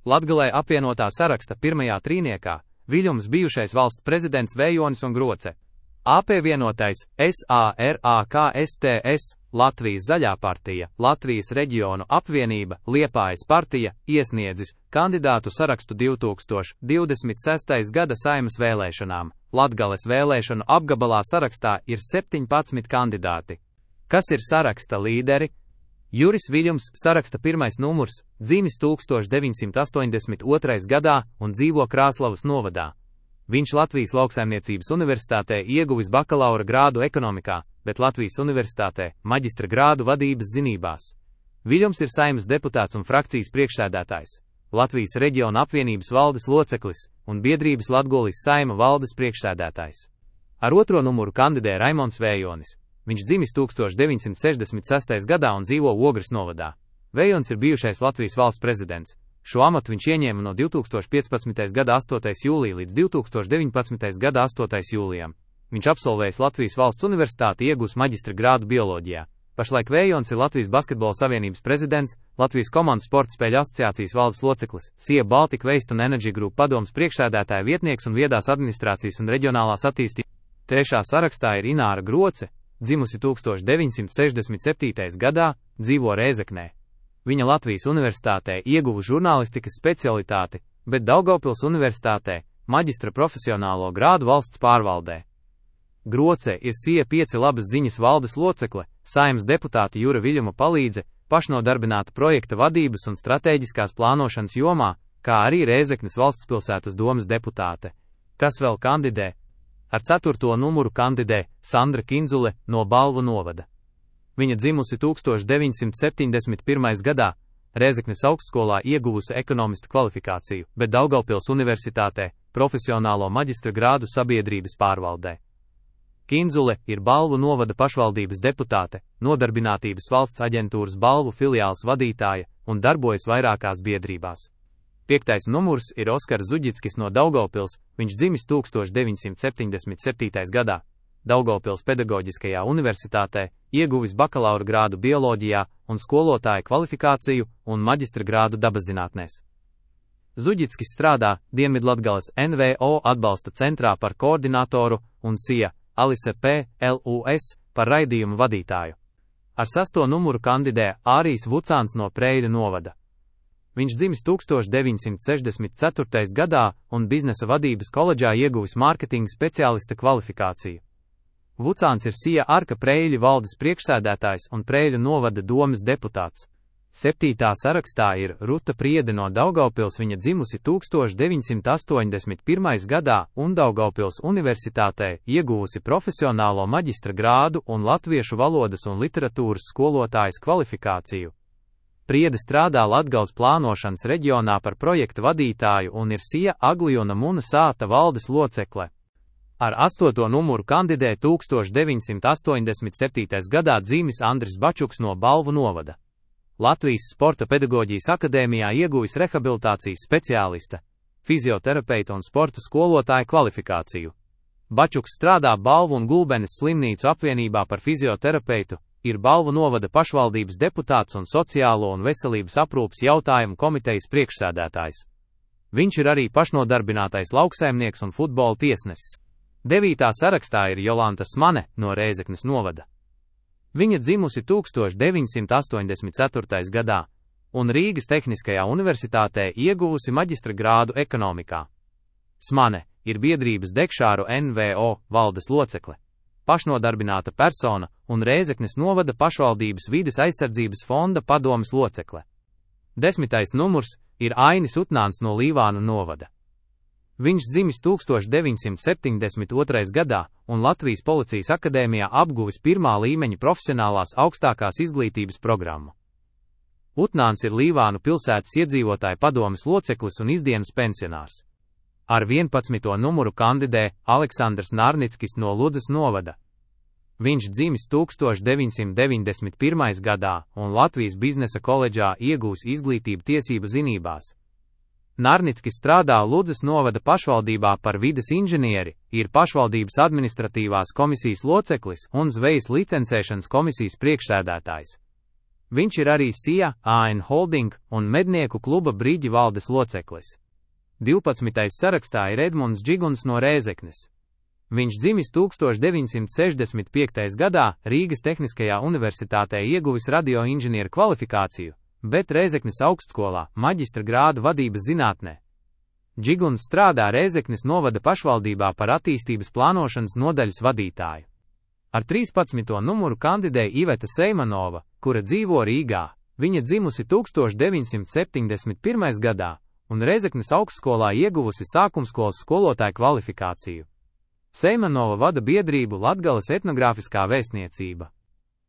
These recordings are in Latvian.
Latgalē apvienotā saraksta pirmajā trīniekā Viļums bijušais valsts prezidents Vējonis un Groce. AP vienotais SARAKSTS, Latvijas Zaļā partija, Latvijas reģionu apvienība, Liepājas partija, iesniedzis kandidātu sarakstu 2026. gada Saeimas vēlēšanām. Latgales vēlēšanu apgabalā sarakstā ir 17 kandidāti. Kas ir saraksta līderi? Juris Viļums, saraksta pirmais numurs, dzimis 1982. gadā un dzīvo Krāslavas novadā. Viņš Latvijas Lauksaimniecības universitātē ieguvis bakalaura grādu ekonomikā, bet Latvijas universitātē maģistra grādu vadības zinībās. Viļums ir Saeimas deputāts un frakcijas priekšsēdētājs, Latvijas reģiona apvienības valdes loceklis un biedrības Latgolis Saeima valdes priekšsēdētājs. Ar otro numuru kandidē Raimonds Vējonis. Viņš dzimis 1966. gadā un dzīvo Ogres novadā. Vējonis ir bijušais Latvijas valsts prezidents. Šo amatu viņš ieņēma no 2015. gada 8. jūlija līdz 2019. gada 8. jūlijam. Viņš absolvējis Latvijas valsts universitāti, iegūs maģistra grādu bioloģijā. Pašlaik Vējonis ir Latvijas basketbola savienības prezidents, Latvijas komandu sporta spēļu asociācijas valdes loceklis, SIA Baltic Waste un Energy Group padomes priekšsēdētāja vietnieks un viedās administrācijas un reģionālās attīstības. Trešā sarakstā ir Ināra Groce, dzimusi 1967. gadā, dzīvo Rēzeknē. Viņa Latvijas universitātē ieguva žurnālistikas specialitāti, bet Daugavpils universitātē maģistra profesionālo grādu valsts pārvaldē. Groce ir SIA 5 labas ziņas valdes locekle, Saeimas deputāta Jura Viļuma palīdze, pašnodarbināta projekta vadības un stratēģiskās plānošanas jomā, kā arī Rēzeknes valstspilsētas domes deputāte. Kas vēl kandidē? Ar 4. numuru kandidē Sandra Kinzule no Balvu novada. Viņa dzimusi 1971. gadā, Rēzeknes augstskolā ieguvusi ekonomista kvalifikāciju, bet Daugavpils universitātē profesionālo maģistra grādu sabiedrības pārvaldē. Kinzule ir Balvu novada pašvaldības deputāte, Nodarbinātības valsts aģentūras Balvu filiāls vadītāja un darbojas vairākās biedrībās. 5. numurs ir Oskars Zuģickis no Daugavpils, viņš dzimis 1977. gadā. Daugavpils pedagoģiskajā universitātē ieguvis bakalaura grādu bioloģijā un skolotāja kvalifikāciju un maģistra grādu dabaszinātnēs. Zuģickis strādā Dienvidlatgales NVO atbalsta centrā par koordinatoru un SIA Alise PLUS par raidījumu vadītāju. Ar 6. numuru kandidē Ārijs Vucāns no Preiļu novada. Viņš dzimis 1964. gadā un biznesa vadības koledžā ieguvis mārketinga speciālista kvalifikāciju. Vucāns ir SIA Arka Preiļu valdes priekšsēdētājs un Preiļu novada domes deputāts. 7. sarakstā ir Ruta Priede no Daugavpils, viņa dzimusi 1981. gadā un Daugavpils universitātē ieguvusi profesionālo maģistra grādu un latviešu valodas un literatūras skolotājas kvalifikāciju. Priede strādā Latgales plānošanas reģionā par projekta vadītāju un ir SIA Aglijona Muna sāta valdes locekle. Ar 8. numuru kandidē 1987. gadā dzimis Andris Bačuks no Balvu novada. Latvijas Sporta pedagoģijas akadēmijā ieguvis rehabilitācijas speciālista, fizioterapeita un sporta skolotāja kvalifikāciju. Bačuks strādā Balvu un Gulbenes slimnīcu apvienībā par fizioterapeitu, ir Balvu novada pašvaldības deputāts un sociālo un veselības aprūpes jautājumu komitejas priekšsēdētājs. Viņš ir arī pašnodarbinātais lauksaimnieks un futbola tiesnesis. 9. sarakstā ir Jolanta Smane no Rēzeknes novada. Viņa dzimusi 1984. gadā un Rīgas Tehniskajā universitātē ieguvusi maģistra grādu ekonomikā. Smane ir biedrības Dekšāru NVO valdes locekle, pašnodarbināta persona un Rēzeknes novada pašvaldības vides aizsardzības fonda padomes locekle. 10. numurs ir Ainis Utnāns no Līvānu novada. Viņš dzimis 1972. gadā un Latvijas Policijas akadēmijā apguvis 1. līmeņa profesionālās augstākās izglītības programmu. Utnāns ir Līvānu pilsētas iedzīvotāju padomes loceklis un izdienas pensionārs. Ar 11. numuru kandidē Aleksandrs Nārnickis no Ludzas novada. Viņš dzimis 1991. gadā un Latvijas biznesa koledžā iegūs izglītību tiesību zinībās. Nārnickis strādā Ludzas novada pašvaldībā par vides inženieri, ir pašvaldības administratīvās komisijas loceklis un zvejas licencēšanas komisijas priekšsēdētājs. Viņš ir arī SIA, AN Holding un Mednieku kluba Brīģi valdes loceklis. 12. sarakstā ir Edmunds Džiguns no Rēzeknes. Viņš dzimis 1965. gadā, Rīgas Tehniskajā universitātē ieguvis radioinženieru kvalifikāciju, bet Rēzeknes augstskolā maģistra grādu vadības zinātnē. Džiguns strādā Rēzeknes novada pašvaldībā par attīstības plānošanas nodaļas vadītāju. Ar 13. numuru kandidēja Iveta Seimanova, kura dzīvo Rīgā. Viņa dzimusi 1971. gadā un Rēzeknes augstskolā ieguvusi sākumskolas skolotāja kvalifikāciju. Seimanova vada biedrību Latgales etnogrāfiskā vēstniecība.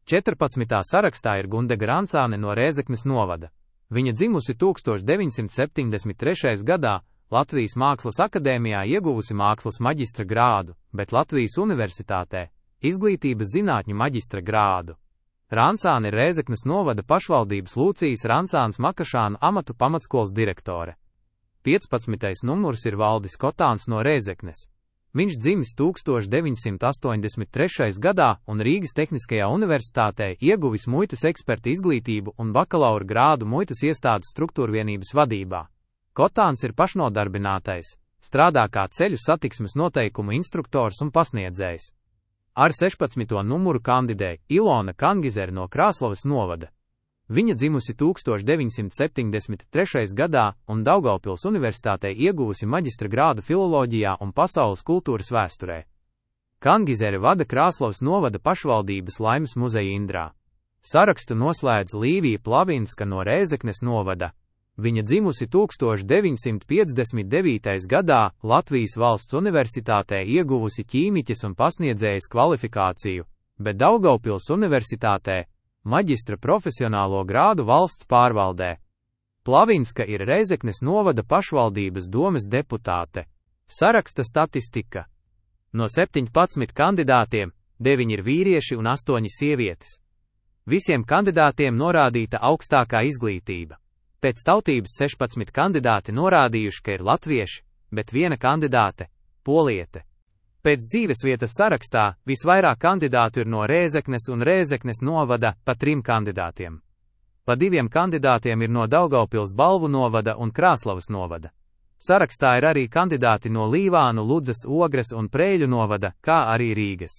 14. sarakstā ir Gundega Rancāne no Rēzeknes novada. Viņa dzimusi 1973. gadā, Latvijas Mākslas akadēmijā ieguvusi mākslas maģistra grādu, bet Latvijas universitātē izglītības zinātņu maģistra grādu. Rancāne ir Rēzeknes novada pašvaldības Lūcijas Rancāns Makašāna amatu pamatskolas direktore. 15. numurs ir Valdis Kotāns no Rēzeknes. Viņš dzimis 1983. gadā un Rīgas Tehniskajā universitātē ieguvis muitas eksperta izglītību un bakalaura grādu muitas iestādes struktūrvienības vadībā. Kotāns ir pašnodarbinātais, strādā kā ceļu satiksmes noteikumu instruktors un pasniedzējs. Ar 16. numuru kandidēja Ilona Kangizere no Krāslavas novada. Viņa dzimusi 1973. gadā un Daugavpils universitātē ieguvusi maģistra grādu filoloģijā un pasaules kultūras vēsturē. Kangizere vada Krāslavas novada pašvaldības Laimes muzeja Indrā. Sarakstu noslēdz Līvija Plavinska no Rēzeknes novada. Viņa dzimusi 1959. gadā, Latvijas valsts universitātē ieguvusi ķīmiķes un pasniedzējas kvalifikāciju, bet Daugavpils universitātē maģistra profesionālo grādu valsts pārvaldē. Plavinska ir Rēzeknes novada pašvaldības domes deputāte. Saraksta statistika. No 17 kandidātiem, 9 ir vīrieši un 8 sievietes. Visiem kandidātiem norādīta augstākā izglītība. Pēc tautības 16 kandidāti norādījuši, ka ir latvieši, bet viena kandidāte – poliete. Pēc dzīvesvietas sarakstā visvairāk kandidātu ir no Rēzeknes un Rēzeknes novada pa 3 kandidātiem. Pa 2 kandidātiem ir no Daugavpils Balvu novada un Krāslavas novada. Sarakstā ir arī kandidāti no Līvānu, Ludzas, Ogres un Prēļu novada, kā arī Rīgas.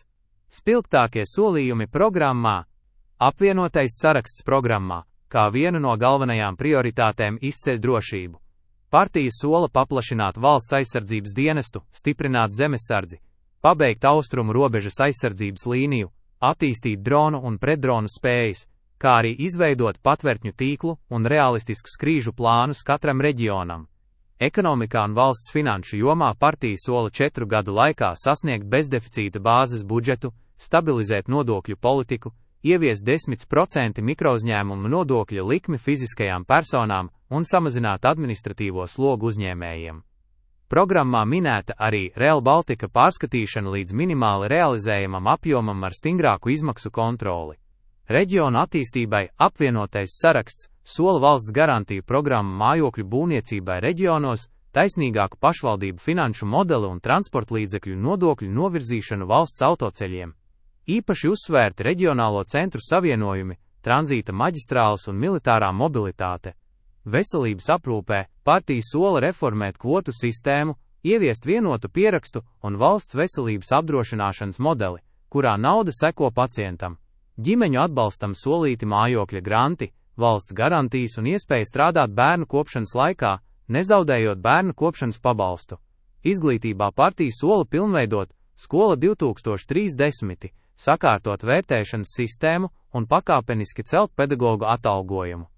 Spilgtākie solījumi programmā. Apvienotais saraksts programmā, kā vienu no galvenajām prioritātēm izceļ drošību. Partija sola paplašināt valsts aizsardzības dienestu, stiprināt zemesardzi, pabeigt austrumu robežas aizsardzības līniju, attīstīt dronu un pretdronu spējas, kā arī izveidot patvērtņu tīklu un realistiskus krīžu plānus katram reģionam. Ekonomikā un valsts finanšu jomā partija sola 4 gadu laikā sasniegt bezdeficīta bāzes budžetu, stabilizēt nodokļu politiku, ieviest 10% mikrouzņēmumu nodokļa likmi fiziskajām personām un samazināt administratīvo slogu uzņēmējiem. Programmā minēta arī Rail Baltica pārskatīšana līdz minimāli realizējamam apjomam ar stingrāku izmaksu kontroli. Reģionu attīstībai apvienotais saraksts sola valsts garantiju programmu mājokļu būvniecībai reģionos, taisnīgāku pašvaldību finanšu modeli un transportlīdzekļu nodokļu novirzīšanu valsts autoceļiem. Īpaši uzsvērti reģionālo centru savienojumi, tranzīta maģistrāles un militārā mobilitāte. Veselības aprūpē partija sola reformēt kvotu sistēmu, ieviest vienotu pierakstu un valsts veselības apdrošināšanas modeli, kurā nauda seko pacientam. Ģimeņu atbalstam solīti mājokļa granti, valsts garantijas un iespēja strādāt bērnu kopšanas laikā, nezaudējot bērnu kopšanas pabalstu. Izglītībā partija sola pilnveidot Skola 2030, sakārtot vērtēšanas sistēmu un pakāpeniski celt pedagogu atalgojumu.